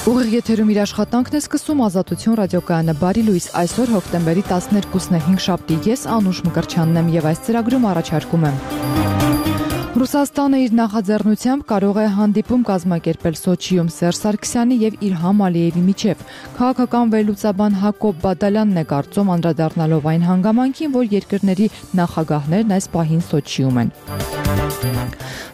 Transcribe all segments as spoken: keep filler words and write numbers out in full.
Ուղիղ եթերում իր աշխատանքն է սկսում Ազատություն ռադիոկայանը բարի լույս այսօր հոկտեմբերի տասներկուսն է հինգշաբթի ես Անուշ Մկրտչյանն եմ եւ այս ծրագրում առաջարկում եմ Ռուսաստանը իր նախաձեռնությամբ կարող է հանդիպում կազմակերպել Սոչիում Սերժ Սարգսյանի եւ Իլհամ Ալիևի միջեւ քաղաքական վերլուծաբան Հակոբ Բադալյանն է կարծում անդրադառնալով այն հանգամանքին որ երկրների նախագահներն այս պահին Սոչիում են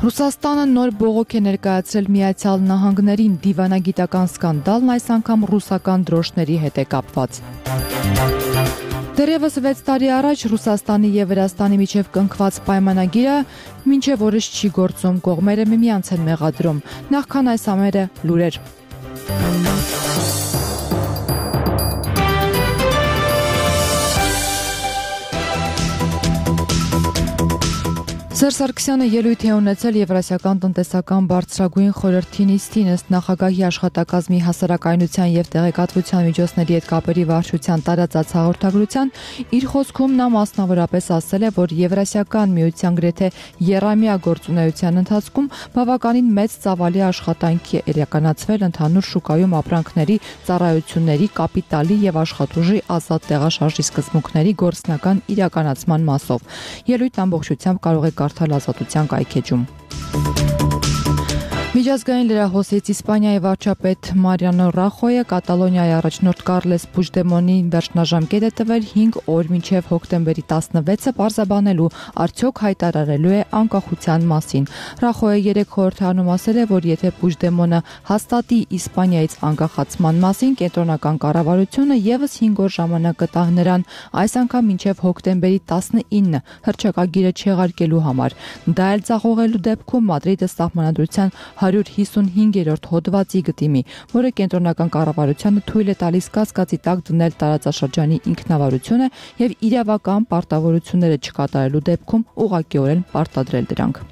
Ռուսաստանը նոր բողոք է ներկայացրել Միացյալ Նահանգներին դիվանագիտական սկանդալն այս անգամ ռուսական դրոշների հետ է կապված Դեռևս վեց տարի առաջ Ռուսաստանի եւ Վրաստանի միջև կնքված պայմանագիրը մինչև օրս չի գործում կողմերը միմյանց են մեղադրում նախքան այս ամենը լուրեր Սերժ Սարգսյանը ելույթ է ունեցել Եվրասիական տնտեսական բարձրագույն խորհրդի նիստին ըստ նախագահի աշխատակազմի հասարակայնության եւ տեղեկատվության միջոցների հետ կապերի վարչության տարածած հաղորդագրության իր խոսքում նա մասնավորապես ասել է, որ Եվրասիական միության գրեթե եռամյա գործունեության ընթացքում բավականին մեծ ծավալի աշխատանքի է իրականացվել ընդհանուր շուկայում ապրանքների, ծառայությունների, կապիտալի եւ աշխատուժի ազատ տեղաշարժի սկզբունքների գործնական իրականացման մասով։ Ելույթն ամբողջությամբ կարող է կարդալ Ազատության կայքեջում։ Միջազգային լրահոսից Իսպանիայի վարչապետ Մարիանո Ռախոյը Կատալոնիայի առաջնորդ Կարլես Պուջդեմոնի վերջնաժամկետ է տվել հինգ օր մինչև հոկտեմբերի տասնվեցը պարզաբանելու արդյոք հայտարարելու է անկախության մասին։ Ռախոյը երեք խորհրդարանում ասել է, որ եթե Պուջդեմոնը հաստատի Իսպանիայից անկախացման մասին, կենտրոնական կառավարությունը եւս հինգ օր ժամանակ կտա նրան այս անգամ մինչև հոկտեմբերի տասնինը հռչակագիրը չեղարկելու համար։ Դա էլ ցախողելու դեպքում Մադրիդը սահմանադրության հարյուր հիսունհինգերորդ հոդվածի գտիմի, որը կենտրոնական կառավարությանը թույլ է տալիս կասկածի տակ դնել տարածաշրջանի ինքնավարությունը եւ իրավական պարտավորությունները չկատարելու դեպքում ուղղակիորեն պարտադրել դրանք։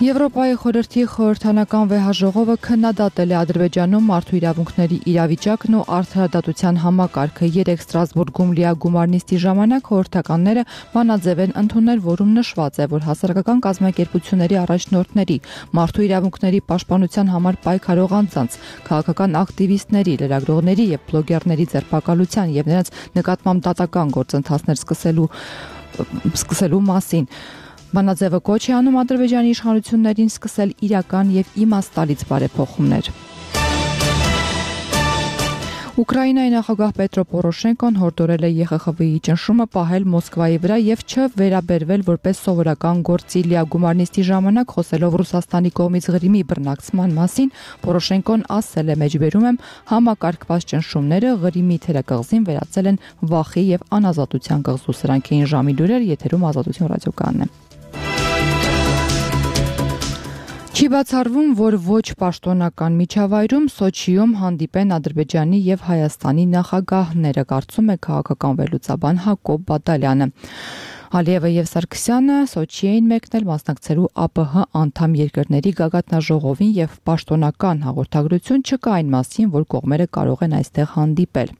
Եվրոպայի խորհրդի խորհրդանական վեհաժողովը քննադատել է Ադրբեջանում մարդու իրավունքների իրավիճակն ու արդարադատության համակարգը երեք Ստրասբուրգում լիագումար նիստի ժամանակ խորհրդականները բանաձև են ընդունել, որում նշված է, որ հասարակական կազմակերպությունների առաջնորդների, մարդու իրավունքների պաշտպանության համար պայքարող անձանց, քաղաքական ակտիվիստների, լրագրողների եւ բլոգերների ձերբակալության եւ նրանց նկատմամբ դատական գործընթացներ սկսելու սկսելու մասին Բանաձևը կոչ է անում Ադրբեջանի իշխանություններին սկսել իրական եւ իմաստալից բարեփոխումներ։ Ուկրաինայի նախագահ Պետրո Պորոշենկոն հորդորել է ԵԽԽՎ-ի ճնշումը պահել Մոսկվայի վրա եւ չվերաբերվել որպես սովորական գործի լիագումար նիստի ժամանակ խոսելով Ռուսաստանի կողմից Ղրիմի բռնակցման մասին, Պորոշենկոն ասել է մեջբերում եմ համակարգված ճնշումները Ղրիմի թերակղզին վերածել են վախի եւ անազատության կղզու սրանք էին ժամի լուրեր եթերում Ազատություն ռադիոկայանն է։ Չի բացառվում, որ ոչ պաշտոնական միջավայրում Սոչիում հանդիպեն Ադրբեջանի եւ Հայաստանի նախագահները, կարծում է քաղաքական վերլուծաբան Հակոբ Բադալյանը։ Ալիևը եւ Սարգսյանը Սոչի էին մեկնել մասնակցելու ԱՊՀ անդամ երկրների գագաթնաժողովին եւ պաշտոնական հաղորդագրություն չկա այն մասին, որ կողմերը կարող են այստեղ հանդիպել։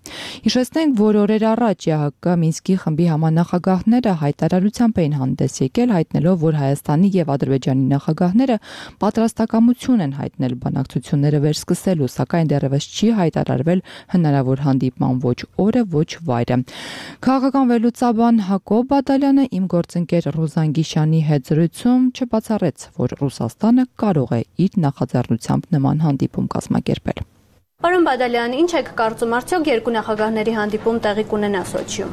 Հիշեցնենք, որ օրեր առաջ ԵՀԿ Մինսկի խմբի համանախագահները հայտարարությամբ էին հանդես եկել, հայտնելով, որ Հայաստանի եւ Ադրբեջանի նախագահները պատրաստակամություն են հայտնել բանակցությունները վերսկսելու, սակայն դեռևս չի հայտարարվել հնարավոր հանդիպման ոչ օրը, ոչ վայրը։ Քաղաքական վերլուծաբան Հակոբ Բադալյանը իմ գործընկեր Ռուզան Գիշյանի հետ զրույցում չբացառեց, որ Ռուսաստանը կարող է իր նախաձեռնությամբ նման հանդիպում կազմակերպել։ Պարոն Բադալյան, ինչ եք կարծում, արդյոք երկու նախագահների հանդիպում տեղի կունենա Սոչիում։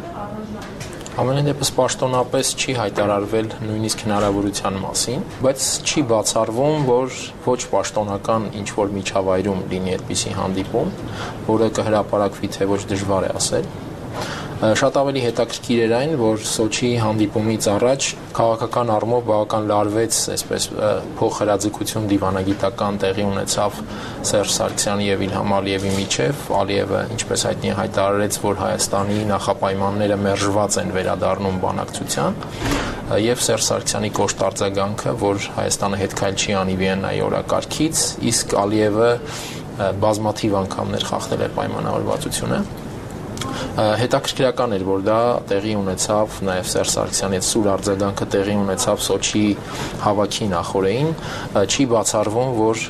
Ամենայն դեպս պաշտոնապես չի հայտարարվել նույնիսկ հնարավորության մասին, բայց չի բացառվում, որ ոչ պաշտոնական ինչ-որ միջավայրում լինի այդպիսի հանդիպում, որը կհրապարակվի թե ոչ դժվար է ասել։ Շատ ավելի հետաքրքիր էր այն, որ Սոչիի հանդիպումից առաջ քաղաքական առումով բավական լարվեց, այսպես փոխհրաձգություն դիվանագիտական տեղի ունեցավ Սերժ Սարգսյանի եւ Իլհամ Ալիևի միջեւ։ Ալիևը, ինչպես հայտնի է, հայտարարեց, որ Հայաստանի նախապայմանները մերժված են վերադառնում բանակցության, եւ Սերժ Սարգսյանի կոշտ արձագանքը, որ Հայաստանը հետ քայլ չի անի Վիեննայի օրակարգից, իսկ Ալիևը բազմաթիվ անգամներ խախտել է պայմանավորվածությունը։ Հետաքրքրական էր, որ դա տեղի ունեցավ նաև Սերժ Սարգսյանի հետ սուր արձագանքը տեղի ունեցավ Սոչիի հավաքի նախօրեին, չի բացառվում, որ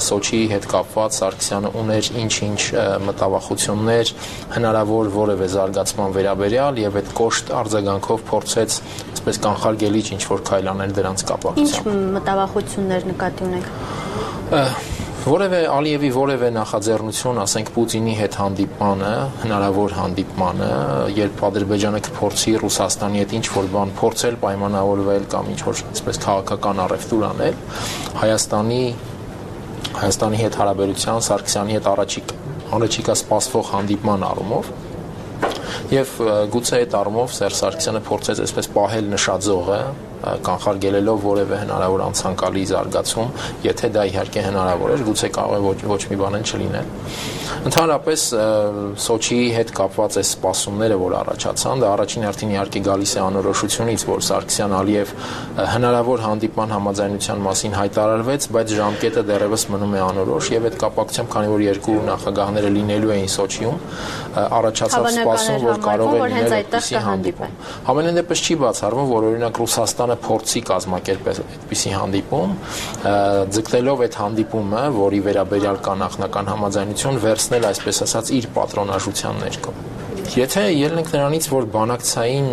Սոչիի հետ կապված Սարգսյանը ուներ ինչ-ինչ մտավախություններ, հնարավոր որևէ զարգացման վերաբերյալ եւ այդ կոշտ արձագանքով փորձեց այսպես կանխարգելիչ ինչ-որ քայլ անել դրանց կապակցությամբ։ Ինչ մտավախություններ նկատի ունեք։ Որևէ Ալիևի որևէ նախաձեռնություն, ասենք Պուտինի հետ հանդիպմանը, հնարավոր հանդիպմանը, երբ Ադրբեջանը կփորձի Ռուսաստանի հետ ինչ-որ բան փորձել պայմանավորվել կամ ինչ-որ այսպես քաղաքական առևտուր անել, Հայաստանի Հայաստանի հետ հարաբերության, Սարգսյանի հետ առաջիկ առաջիկա սպասվող հանդիպման առումով եւ գուցե այդ առումով Սերժ Սարգսյանը փորձեց այսպես պահել նշաձողը, կանխարգելելով որևէ հնարավոր անցանկալի զարգացում, եթե դա իհարկե հնարավոր էր, գուցե կարող է ոչ, ոչ մի բան էլ չլինել։ Ընդհանրապես Սոչիի հետ կապված այս սպասումները, որ առաջացան, դա առաջին հերթին իհարկե գալիս է անորոշությունից, որ Սարգսյան-Ալիև հնարավոր հանդիպման համաձայնության մասին հայտարարվեց, բայց ժամկետը դեռևս մնում է անորոշ եւ այդ կապակցությամբ, քանի որ երկու նախագահները լինելու էին Սոչիում, առաջացավ սպասում, որ կարող է լինել այդպիսի հանդիպում։ Համենայն դեպս չի բացառվում, որ օրինակ Ռուսաստանը փորձի կազմակերպել այդպիսի հանդիպում, ձգտելով այդ հանդիպումը, որի վերաբերյալ կա նախնական համաձայնություն, վերցնել այսպես ասած իր պատրոնաժության ներքո։ Եթե ելնենք ենք նրանից, որ բանակցային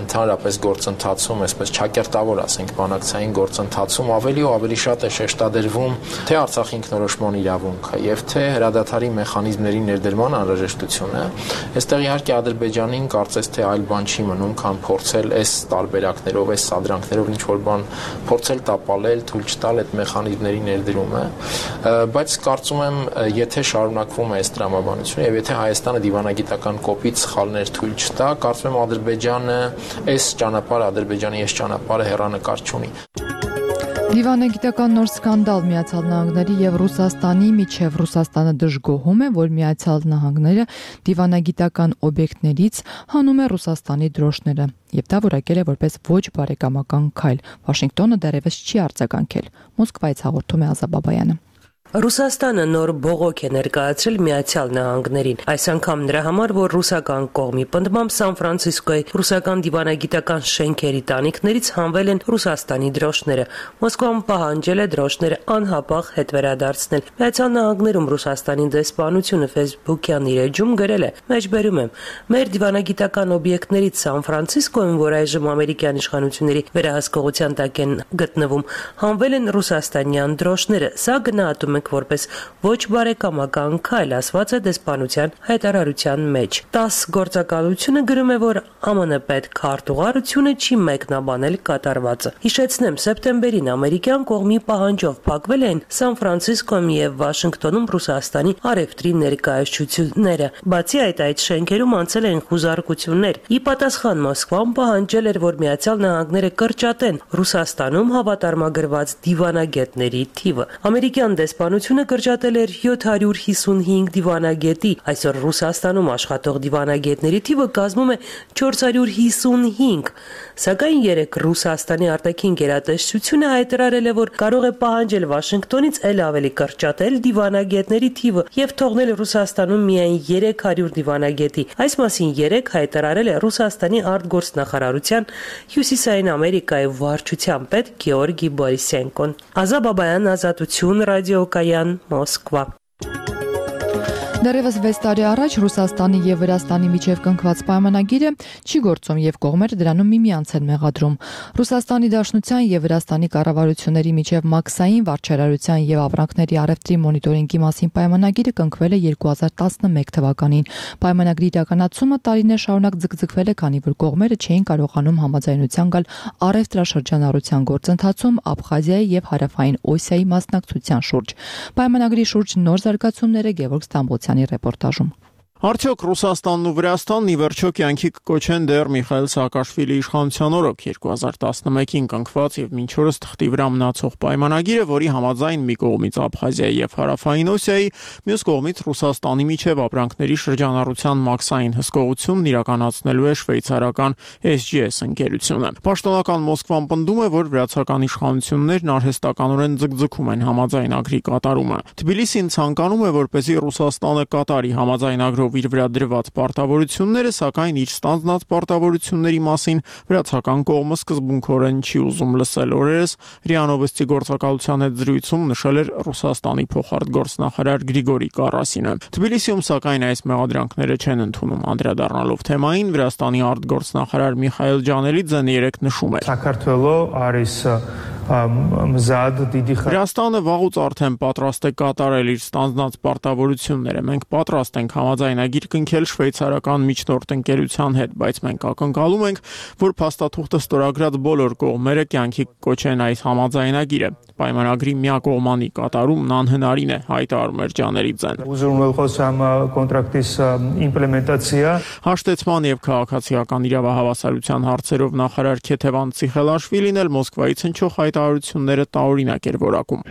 ընդհանրապես գործընթացում, այսպես չակերտավոր ասենք, բանակցային գործընթացում ավելի ու ավելի շատ է շեշտադրվում թե Արցախի ինքնորոշման իրավունքը եւ թե հրադադարի մեխանիզմների ներդրման անհրաժեշտությունը, այստեղ իհարկե Ադրբեջանին կարծես թե այլ բան չի մնում, քան փորձել այս տարբերակներով, այս սադրանքներով ինչ որ բան փորձել տապալել, թույլ չտալ այդ մեխանիզմների ներդրումը, բայց կարծում եմ, եթե շարունակվում է այս տրամաբանությունը եւ եթե Հայաստանը դիվանագիտական կոպիտ սխալներ թույլ չտա, կարծում եմ Ադրբեջանը այս ճանապարհը, Ադրբեջանի այս ճանապարհը հեռանկար չունի։ Դիվանագիտական նոր սկանդալ Միացյալ Նահանգների եւ Ռուսաստանի միջև Ռուսաստանը դժգոհում է, որ Միացյալ Նահանգները դիվանագիտական օբյեկտներից հանում է Ռուսաստանի դրոշները եւ դա որակել է որպես ոչ բարեկամական քայլ։ Վաշինգտոնը դեռևս չի արձագանքել։ Մոսկվայից հաղորդում է Ազա Բաբայանը։ Ռուսաստանը նոր բողոք է ներկայացրել Միացյալ Նահանգներին, այս անգամ նրա համար, որ ռուսական կողմի պնդմամբ Սան Ֆրանցիսկոյի ռուսական դիվանագիտական շենքերի տանիքներից հանվել են Ռուսաստանի դրոշները։ Մոսկվան պահանջել է դրոշները անհապաղ հետ վերադարձնել։ Միացյալ Նահանգներում Ռուսաստանի դեսպանությունը Facebook-յան իր էջում գրել է. «Մեջբերում եմ, մեր դիվանագիտական օբյեկտներից Սան Ֆրանցիսկոյում, որ այժմ ամերիկյան իշխանությունների վերահսկողության տակ են գտնվում, հանվել են ռուսաստանյան դրոշները։ Սա գնահատում որպես ոչ բարեկամական քայլ», ասված է դեսպանության հայտարարության մեջ։ տաս գործակալությունը գրում է, որ ԱՄՆ պետքարտուղարությունը չի մեկնաբանել կատարվածը։ Հիշեցնեմ, սեպտեմբերին ամերիկյան կողմի պահանջով փակվել են Սան Ֆրանցիսկոյում եւ Վաշինգտոնում Ռուսաստանի առևտրի ներկայացությունները։ Բացի այդ, այդ շենքերում անցել են խուզարկություններ։ Ի պատասխան Մոսկվան պահանջել էր, որ Միացյալ Նահանգները կրճատեն Ռուսաստանում հավատարմագրված դիվանագետների թիվը։ Ամերիկյան դեսպանությունը կրճատել էր յոթ հարյուր հիսունհինգ դիվանագետի, այսօր Ռուսաստանում աշխատող դիվանագետների թիվը կազմում է չորս հարյուր հիսունհինգ, սակայն երեկ Ռուսաստանի արտաքին գերատեսչությունը հայտարարել է, որ կարող է պահանջել Վաշինգտոնից էլ ավելի կրճատել դիվանագետների թիվը եւ թողնել Ռուսաստանում միայն երեք հարյուր դիվանագետի։ Այս մասին երեկ հայտարարել է Ռուսաստանի արտգործնախարարության Հյուսիսային Ամերիկայի վարչության պետ Գեորգի Բորիսենկոն։ Ազա Բաբայան, Ազատություն, Ռադիոկայան, Մոսկվա։ Դեռևս վեց տարի առաջ Ռուսաստանի եւ Վրաստանի միջև կնքված պայմանագիրը չի գործում եւ կողմերը դրանում միմյանց են մեղադրում։ Ռուսաստանի Դաշնության եւ Վրաստանի կառավարությունների միջև մաքսային վարչարարության եւ ապրանքների առևտրի մոնիտորինգի մասին պայմանագիրը կնքվել է երկու հազար տասնմեկ թվականին։ Պայմանագրի իրականացումը տարիներ շարունակ ձգձգվել է, քանի որ կողմերը չէին կարողանում համաձայնության գալ առևտրաշրջանառության գործընթացում Աբխազիայի եւ Հարավային Օսիայի մասնակցության շուրջ։ Պայմանագրի շուրջ նոր զարգացումները Գևորգ Ստամբոլցյանի ռեպորտաժում։ Արդյոք Ռուսաստանն ու Վրաստանն ի վերջո կյանքի կկոչեն դեռ Միխայիլ Սաակաշվիլի իշխանության օրոք երկու հազար տասնմեկին կնքված եւ մինչ օրս թղթի վրա մնացող պայմանագիրը, որի համաձայն մի կողմից Աբխազիայի եւ Հարավային Օսիայի, մյուս կողմից Ռուսաստանի միջև ապրանքների շրջանառության մաքսային հսկողությունն իրականացնելու է շվեյցարական S G S ընկերությունը։ Պաշտոնական Մոսկվան պնդում է, որ վրացական իշխանություններն արհեստականորեն ձգձգում են համաձայնագրի կատարումը։ Թբիլիսին ցանկանում է, որպեսզի Ռուսաստանը կատարի համաձայնագրով շնորհիվ իր վրա դրված պարտավորությունները, սակայն իր ստանձնած պարտավորությունների մասին վրացական կողմը սկզբունքորեն չի ուզում լսել։ Օրերս ՌԻԱ Նովոստի գործակալության հետ զրույցում նշել էր Ռուսաստանի փոխարտգործնախարար Գրիգորի Կարասինը։ Թբիլիսիում սակայն այս մեղադրանքները չեն ընդունում։ Անդրադառնալով թեմային, Վրաստանի արտգործնախարար Միխայել Ջանելիձեն երեկ նշում էր. Վրաստանը վաղուց արդեն պատրաստ է կատարել իր ստանձնած պարտավորությունները։ Մենք պատրաստ ենք համաձայնագիր կնքել շվեյցարական միջնորդ ընկերության հետ, բայց մենք ակնկալում ենք, որ փաստաթուղթը ստորագրած բոլոր կողմերը կյանքի կոչեն այս համաձայնագիրը։ Պայմանագրի միակողմանի կատարումն անհնարին է, հայտարարում էր Ջանելիձեն։ Հաշտեցման եւ քաղաքացիական իրավահավասարության հարցերով նախարար Քեթևան Ցիխելաշվիլին էլ Մոսկվայից հնչող հայտարարությունները տարօրինակ էր որակում։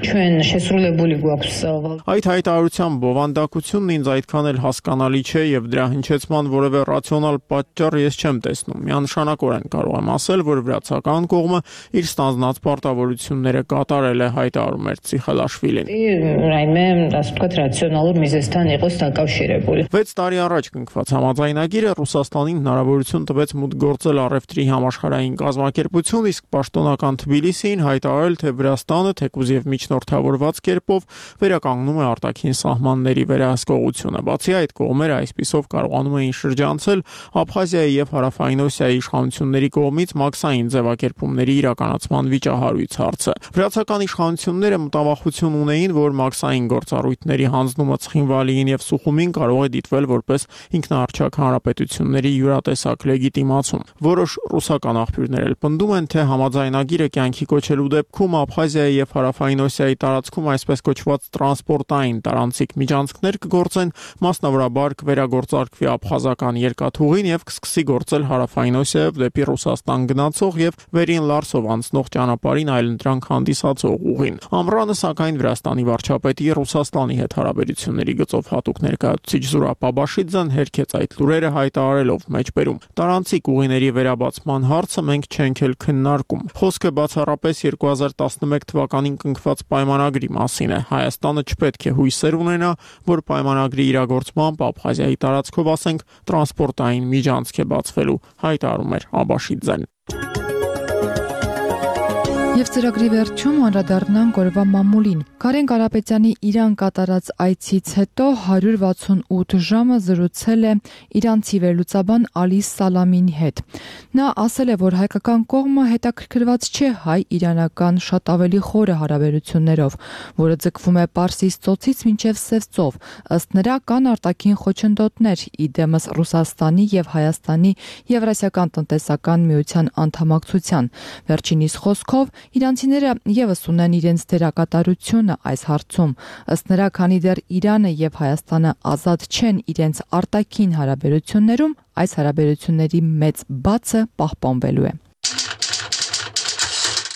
Այդ հայտարարության բովանդակությունն ինձ այդքան էլ հասկանալի չէ եւ դրա հնչեցման որևէ ռացիոնալ պատճառ ես չեմ տեսնում։ Միանշանակորեն կարող եմ ասել, որ վրացական կողմը իր ստանձնած պարտավորությունները կատարել է, հայտարարում էր Ցիխելաշվիլին։ վեց տարի առաջ կնքված համաձայնագիրը Ռուսաստանին հնարավորություն տվեց մուտք գործել առևտրի համաշխարհային կազմակերպություն, իսկ պաշտոնական Թբիլիսիին հայտարարել, թե Վրաստանը թեկուզ եւ միջնորդավորված կերպով վերականգնում է արտաքին սահմանների վերահսկողությունը։ Բացի այդ, կողմերը այսպիսով կարողանում էին շրջանցել Աբխազիայի եւ Հարավային Օսիայի իշխանությունների կողմից մաքսային ձևակերպումների իրականացման վիճահարույց հարցը։ Վրացական իշխանությունները մտավախություն ունեին, որ մաքսային գործառույթների հանձնումը Ցխինվալիին եւ Սուխումին կարող է դիտվել որպես ինքնաառչակ հանրապետությունների յուրատեսակ լեգիտիմացում։ Որոշ ռուսական աղբյուրներ էլ պնդում են, թե համաձայնագիրը կյանքի կոչելու դեպքում Աբխազիայի եւ Հարավային Օսիայի տարածքում այսպես կոչված տրանսպորտային տարանցիկ միջանցքներ կգործեն, մասնավորաբար կվերագործարկվի աբխազական երկաթուղին եւ կսկսի գործել Հարավային Օսիայով դեպի Ռուսաստան գնացող եւ Վերին Լարսով անցնող ճանապարհին այլընտրանք հանդիսացող ուղին։ Ամռանը սակայն Վրաստանի վարչապետի Ռուսաստանի հետ հարաբերությունների գծով հատուկ ներկայացուցիչ Զուրաբ Աբաշիձեն հերքեց այդ լուրերը, հայտարարելով մեջբերում. տարանցիկ ուղիների վերաբացման հարցը մենք չենք էլ քննարկում։ Խոսքը բացառապես երկու հազար տասնմեկ թվականին կնքված պայմանագրի մասին է։ Հայաստանը չպետք է հույսեր ունենա, որ պայմանագրի իրագործմամբ Աբխազիայի տարածքով, ասենք, տրանսպորտային միջանցք է բացվելու, հայտարարում էր Աբաշիձեն։ Եվ ծրագրի վերջում անդրադառնանք օրվա մամուլին։ Կարեն Կարապետյանի Իրան կատարած այցից հետո հարյուր վաթսունութ ժամը զրուցել է իրանցի վերլուծաբան Ալի Սալամինի հետ։ Նա ասել է, որ հայկական կողմը հետաքրքրված չէ հայ-իրանական շատ ավելի խորը հարաբերություններով, որը ձգվում է Պարսից ծոցից մինչև Սև ծով։ Ըստ նրա կան արտաքին խոչընդոտներ, իդեմս Ռուսաստանի եւ Հայաստանի Եվրասիական տնտեսական միության անդամակցության։ Վերջինիս խոսքով իրանցիները եւս ունեն իրենց դերակատարությունը այս հարցում։ Ըստ նրա, քանի դեռ Իրանը եւ Հայաստանը ազատ չեն իրենց արտաքին հարաբերություններում, այս հարաբերությունների մեծ բացը պահպանվելու է։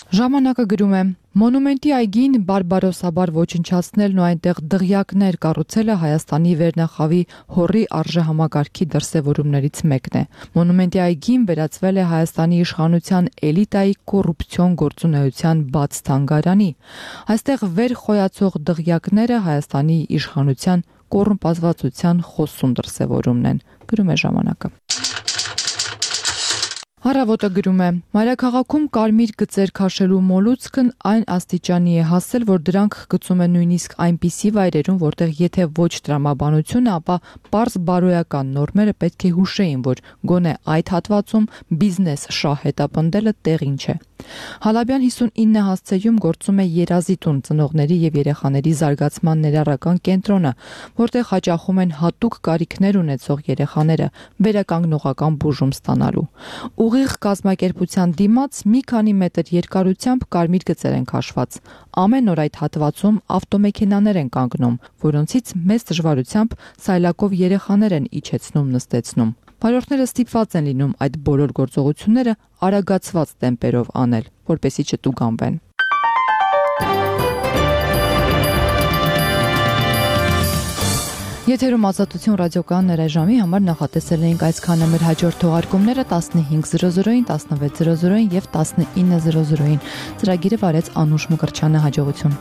Ժամանակը գրում է. Մոնումենտի այգին բարբարոսաբար ոչնչացնելն ու այնտեղ դղյակներ կառուցելը Հայաստանի վերնախավի հորի արժեհամակարգի դրսևորումներից մեկն է։ Մոնումենտի այգին վերածվել է Հայաստանի իշխանության էլիտայի կոռուպցիոն գործունեության բաց թանգարանի։ Այստեղ վեր խոյացող դղյակները Հայաստանի իշխանության կոռումպացվածության խոսուն դրսևորումն են, գրում է ժամանակը։ Հարավոտը գրում է. Մայրաքաղաքում կարմիր գծեր քաշելու մոլուցքն այն աստիճանի է հասել, որ դրանք գծում են նույնիսկ այնպիսի վայրերում, որտեղ եթե ոչ տրամաբանությունը, ապա պարզ բարոյական նորմերը պետք է հուշեին, որ գոնե այդ հատվածում բիզնես շահ հետապնդելը տեղին չէ։ Հալաբյան հիսունինը հասցեում գործում է Երազի տուն, ծնողների եւ երեխաների զարգացման ներառական կենտրոնը, որտեղ հաճախում են հատուկ կարիքներ ունեցող երեխաները վերականգնողական բուժում ստանալու։ Ուղիղ կազմակերպության դիմաց մի քանի մետր երկարությամբ կարմիր գծեր են քաշված։ Ամեն օր այդ հատվածում ավտոմեքենաներ են կանգնում, որոնցից մեծ դժվարությամբ սայլակով երեխաներ են իջեցնում նստեցնում։ Վարորդները ստիպված են լինում այդ բոլոր գործողությունները արագացված տեմպերով անել, որպեսզի չտուգանվեն։ Եթերում Ազատություն ռադիոկայաններ այժմի համար նախատեսել էինք այսքանը, մեր հաջորդ թողարկումները տասնհինգ զրո զրոին, տասնվեց զրո զրոին եւ տասնինը զրո զրոին։ Ծրագիրը վարեց Անուշ Մկրտչյանը, հաջողություն։